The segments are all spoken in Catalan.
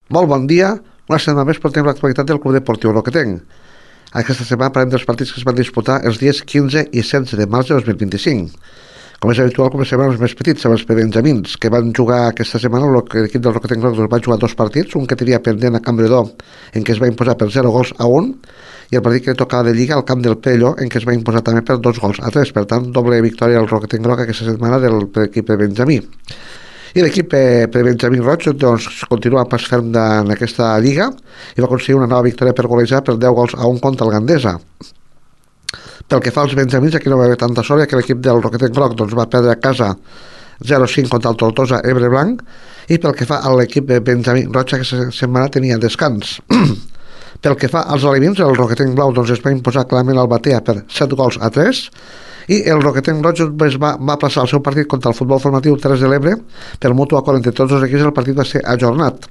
Molt bon dia. Una setmana més portem l'actualitat del Club Deportiu Roquetenc. Aquesta setmana parlem dels partits que es van disputar els dies 15 i 16 de març de 2025. Com és habitual, comencem amb els més petits, amb els benjamins, que van jugar aquesta setmana. L'equip del Roquetenc va jugar dos partits, un que tenia pendent a Campredó, en què es va imposar per 0-1, i el partit que tocava de Lliga al camp del Pello, en què es va imposar també per 2-3. Per tant, doble victòria al Roquetenc Groc aquesta setmana de l'equip de Benjamí. I l'equip Benjamí Roig doncs, continua pas ferm en aquesta lliga i va aconseguir una nova victòria per golejar per 10-1 contra el Gandesa. Pel que fa als benjamins, aquí no va haver tanta sort, que l'equip del Roquetenc Groc doncs, va perdre a casa 0-5 contra el Tortosa Ebre Blanc, i pel que fa a l'equip Benjamí Roig, aquesta setmana tenia descans. Pel que fa als alevins, el Roquetenc Blau doncs, es va imposar clarament al Batea per 7-3, i el Roquetenc Roig va passar el seu partit contra el futbol formatiu Terres de l'Ebre per mutu acord entre tots els equips. El partit va ser ajornat.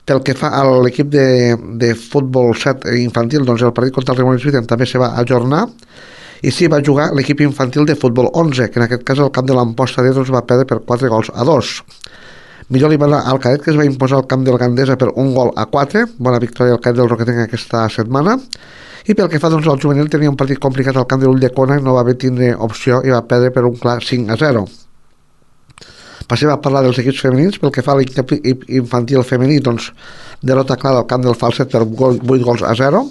Pel que fa a l'equip de futbol 7 infantil, doncs el partit contra el Remolins Viten també se va ajornar, i sí va jugar l'equip infantil de futbol 11, que en aquest cas el camp de l'Amposta de va perdre per 4-2. Millor li va anar al cadet, que es va imposar al camp del Gandesa per 1-4. Bona victòria al cadet del Roquetenc aquesta setmana. I pel que fa doncs, al juvenil, tenia un partit complicat al camp de l'Ulldecona i no va haver tindre opció i va perdre per un clar 5-0. Passem a parlar dels equips femenins. Pel que fa a l'equip infantil femení, doncs, derrota clara al camp del Falset per 8-0.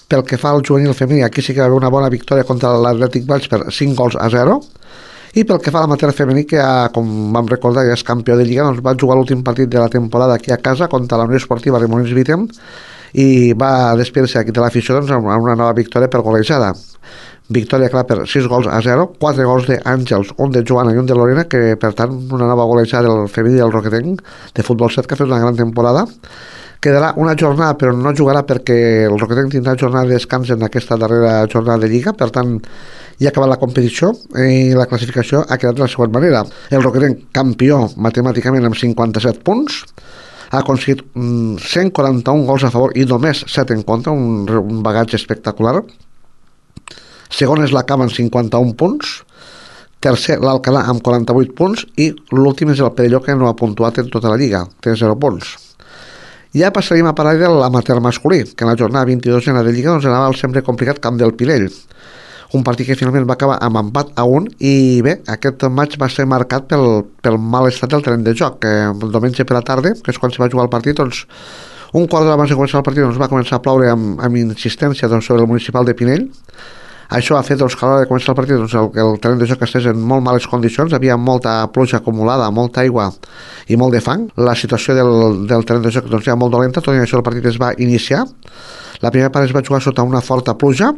Pel que fa al juvenil femení, aquí sí que va haver una bona victòria contra l'Atlètic Valls per 5-0. I pel que fa a la matèria femení, que com vam recordar ja és campió de Lliga, doncs va jugar l'últim partit de la temporada aquí a casa contra la Unió Esportiva Remolins Viten i va despedir-se aquí de l'afició doncs, amb una nova victòria per golejada. Victòria clara per 6-0, 4 gols d'Àngels, un de Joana i un de Lorena, que per tant una nova golejada del femení del Roquetenc de futbol 7, que ha fet una gran temporada. Quedarà una jornada, però no jugarà perquè el Roquetenc tindrà jornada de descans en aquesta darrera jornada de Lliga. Per tant, ja ha acabat la competició i la classificació ha quedat de la següent manera. El Roquetenc, campió matemàticament amb 57 punts, ha aconseguit 141 gols a favor i només 7 en contra, un bagatge espectacular. Segon és la Cava amb 51 punts, tercer l'Alcalà amb 48 punts i l'últim és el Perelló, que no ha puntuat en tota la Lliga, té 0 punts. Ja passaríem a parlar de l'amateur masculí, que en la jornada 22 de Lliga doncs, anava al sempre complicat camp del Pinell. Un partit que finalment va acabar amb empat a 1, i bé, aquest maig va ser marcat pel mal estat del terreny de joc, que el diumenge per la tarda, que és quan se va jugar el partit, doncs, un quart d'hora abans de començar el partit doncs, va començar a ploure amb insistència doncs, sobre el municipal de Pinell. Això ha fet doncs, que a l'hora de començar el partit doncs, el terreny de joc estés en molt males condicions, havia molta pluja acumulada, molta aigua i molt de fang. La situació del terreny de joc doncs, era molt dolenta, tot i això el partit es va iniciar. La primera part es va jugar sota una forta pluja.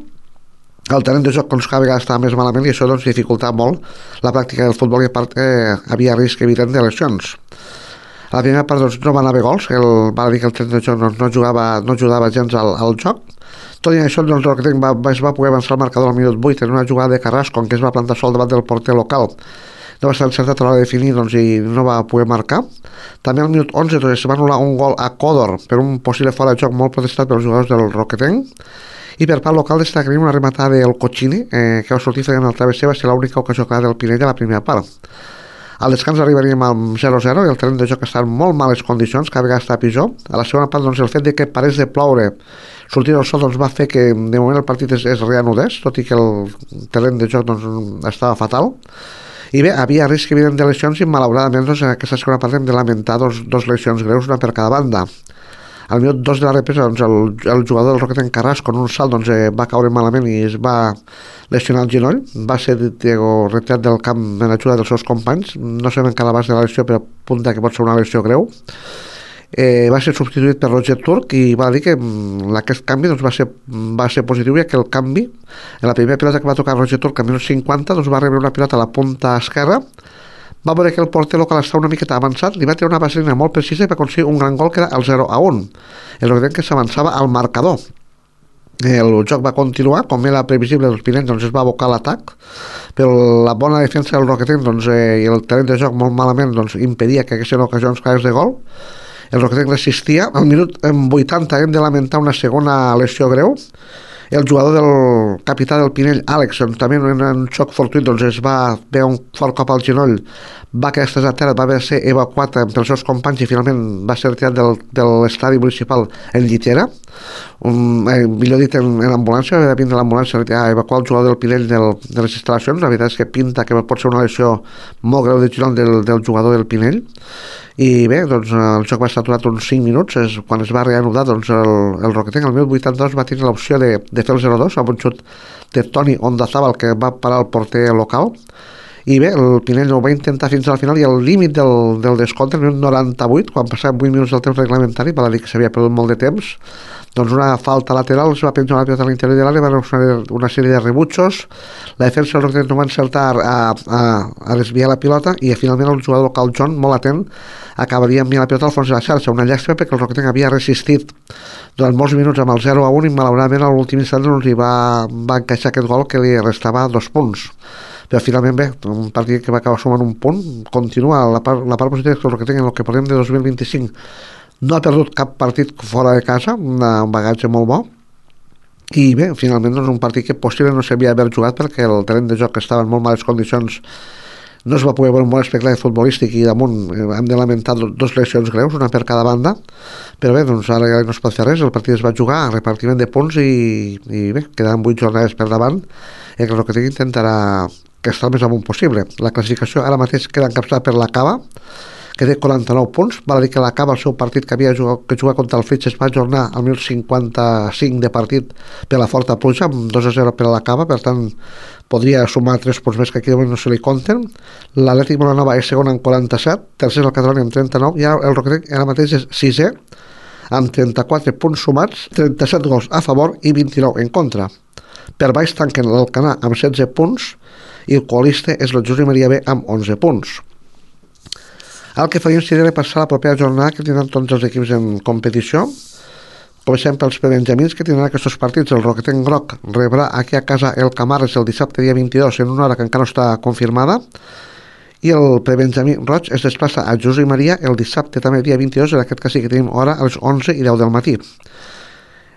El terreny de joc doncs, cada vegada estava més malament i això doncs, dificultava molt la pràctica del futbol, i a part havia risc evident de lesions. A la primera part doncs, no van haver gols, va dir que el terreny de joc doncs, no ajudava gens al joc. Tot i això doncs, es va poder avançar el marcador al minut 8 en una jugada de Carrasco, en què es va plantar sol davant del porter local. No va estar encertat a l'hora de definir doncs, i no va poder marcar. També al minut 11 doncs, es va anul·lar un gol a Còdor per un possible fora de joc molt protestat pels jugadors del Roquetenc. I per part local destacaria una rematada del Cochini, que va sortir fent el travesser, va ser l'única ocasió clara del Pinell a la primera part. Al descans arribaríem amb 0-0 i el terreny de joc està en molt males condicions, cada vegada està pitjor. A la segona part doncs, el fet de que parés de ploure sortir el sol doncs, va fer que de moment el partit es reanudés, tot i que el terreny de joc doncs, estava fatal. I bé, havia risc evident de lesions i malauradament doncs, en aquesta segona part hem de lamentar dos lesions greus, una per cada banda. Al minut 2 de la represa doncs, el jugador del Roquetenc Carrasco en un salt doncs, va caure malament i es va lesionar el genoll. Va ser retirat del camp en ajuda dels seus companys. No sabem encara l'abast de la lesió, però apunta que pot ser una lesió greu. Va ser substituït per Roger Turc i va dir que aquest canvi doncs, va ser positiu, i que el canvi en la primera pilota que va tocar Roger Turc a minut 50 doncs, va rebre una pilota a la punta esquerra. Va veure que el porter local estava una miqueta avançat, li va treure una vaselina molt precisa i va aconseguir un gran gol que era el 0-1. El Roquetenc que s'avançava al marcador. El joc va continuar, com era previsible, els Pinells doncs, es va abocar a l'atac, però la bona defensa del Roquetenc doncs, i el terreny de joc molt malament doncs, impedia que haguessin ocasions clares de gol. El Roquetenc resistia. Al minut 80 hem de lamentar una segona lesió greu, El jugador del capità del Pinell, Àlex, també en un xoc fortuit doncs es va veure un fort cop al genoll, va quedar estès a terra, va haver de ser evacuat pels seus companys i finalment va ser retirat de l'estadi municipal en llitera, millor dit en ambulància, va vindre l'ambulància a evacuar el jugador del Pinell de les instal·lacions. La veritat és que pinta que pot ser una lesió molt greu de genoll del jugador del Pinell. I bé, doncs el joc va estar aturat uns 5 minuts. Quan es va reanudar, doncs el Roquetenc el 1082 va tenir l'opció de fer el 0-2 amb un xut de Toni Ondazábal que va parar el porter local. I bé, el Pinell ho va intentar fins al final i al límit del descompte, el minut 98, quan passaven 8 minuts del temps reglamentari, val a dir que s'havia perdut molt de temps, doncs una falta lateral, es va penjar la pilota a l'interior de l'àrea, va haver una sèrie de rebutjos, la defensa del Roquetenc no va encertar a desviar la pilota i finalment el jugador local John, molt atent, acabaria enviant la pilota al fons de la xarxa, una llàstima perquè el Roquetenc havia resistit durant molts minuts amb el 0-1 i malauradament a l'últim instant doncs, hi va encaixar aquest gol que li restava 2 punts. Però finalment bé, un partit que va acabar sumant un punt, continua la part positiva que el Roquetenc en el que parlem de 2025 no ha perdut cap partit fora de casa, un bagatge molt bo, i bé, finalment doncs, un partit que possible no s'havia d'haver jugat perquè el terreny de joc estava en molt males condicions, no es va poder veure un bon espectacle futbolístic i damunt hem de lamentar 2 lesions greus, una per cada banda, però bé, doncs ara no es pot fer res, el partit es va jugar a repartiment de punts i bé, quedaran 8 jornades per davant i el Roquetenc intentarà que està el més amunt possible. La classificació ara mateix queda encapçada per la Cava, que té 49 punts, val a dir que la Cava, el seu partit que havia jugat contra el Flix es va ajornar al 1055 de partit per la forta pluja, amb 2-0 per a la Cava, per tant podria sumar 3 punts més que aquí de moment no se li compten. L'Atlètic Molanova és segon amb 47, tercer el Catalunya amb 39 i el Roquetenc ara mateix és 6è amb 34 punts sumats, 37 gols a favor i 29 en contra. Per baix tanquen l'Alcanar amb 16 punts i el coalista és el Josep Maria B amb 11 punts. El que faríem seria repassar la propera jornada que tindran tots els equips en competició. Comencem pels prebenjamins que tindran aquests partits. El Roquetenc Groc rebrà aquí a casa el Camarles el dissabte dia 22 en una hora que encara no està confirmada i el prebenjamí roig es desplaça a Josep Maria el dissabte també dia 22, en aquest cas sí que tenim hora a les 11 i 10 del matí.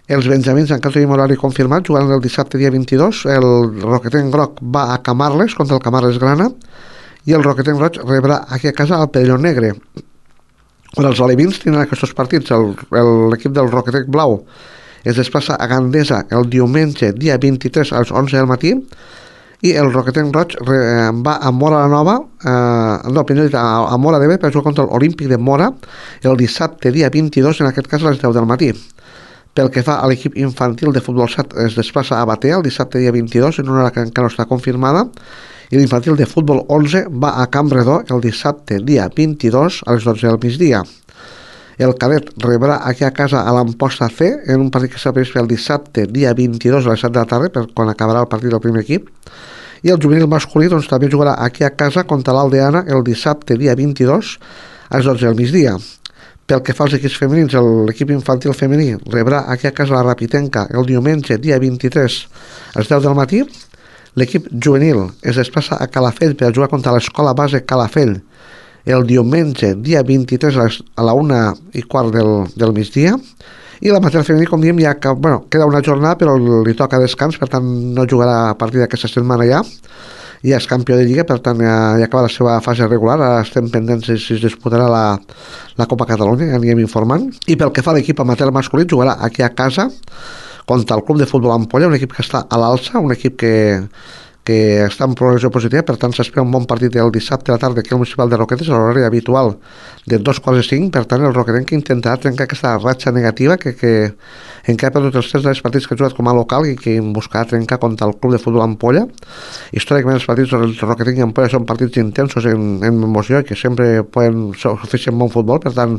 Els benjamins encara tenim horari confirmat, jugant el dissabte dia 22, el Roquetenc Groc va a Camarles contra el Camarles Grana i el Roquetenc Roig rebrà aquí a casa el Perelló Negre. Quan els alevins tindran aquests partits, l'equip del Roquetenc Blau es desplaça a Gandesa el diumenge dia 23 a les 11 del matí i el Roquetenc Roig va a Mora la Nova, a Mora de Bé per jugar contra l'Olímpic de Mora el dissabte dia 22, en aquest cas a les 10 del matí. Pel que fa a l'equip infantil de futbol 7 es desplaça a Batea el dissabte dia 22 en una hora que encara no està confirmada i l'infantil de futbol 11 va a Campredó el dissabte dia 22 a les 12 del migdia. El cadet rebrà aquí a casa a l'Amposta C en un partit que s'ha previst el dissabte dia 22 a les 7 de la tarda per quan acabarà el partit del primer equip i el juvenil masculí doncs, també jugarà aquí a casa contra l'Aldeana el dissabte dia 22 a les 12 del migdia. Pel que fa als equips femenins, l'equip infantil femení rebrà aquí a casa la Rapitenca el diumenge dia 23 a les 10 del matí. L'equip juvenil es desplaça a Calafell per jugar contra l'escola base Calafell el diumenge dia 23 a la 1:15 del migdia. I la matèria femení, com diem, ja queda una jornada però li toca descans, per tant no jugarà a partir d'aquesta setmana ja és campió de Lliga, per tant ja acaba la seva fase regular, ara estem pendents si es disputarà la Copa Catalunya, ja anirem informant. I pel que fa a l'equip amateur masculí, jugarà aquí a casa contra el Club de Futbol Ampolla, un equip que està a l'alça, un equip que està en progressió positiva, per tant s'espera un bon partit el dissabte a la tarda aquí al Municipal de Roquetes, a l'horari habitual de 2:45, per tant el Roquetenc intentarà trencar aquesta ratxa negativa que encara ha perdut els 3 dels partits que ha jugat com a local i que buscarà trencar contra el Club de Futbol Ampolla. Històricament els partits del Roquetenc i Ampolla són partits intensos en emoció i que sempre poden oferir bon futbol, per tant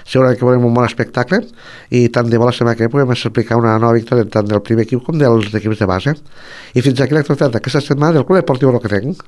segurament que veurem un bon espectacle i tant de bo la setmana que puguem explicar una nova victòria tant del primer equip com dels equips de base. I fins aquí l'actualitat d'aquesta setmana del Club Deportiu Roquetenc.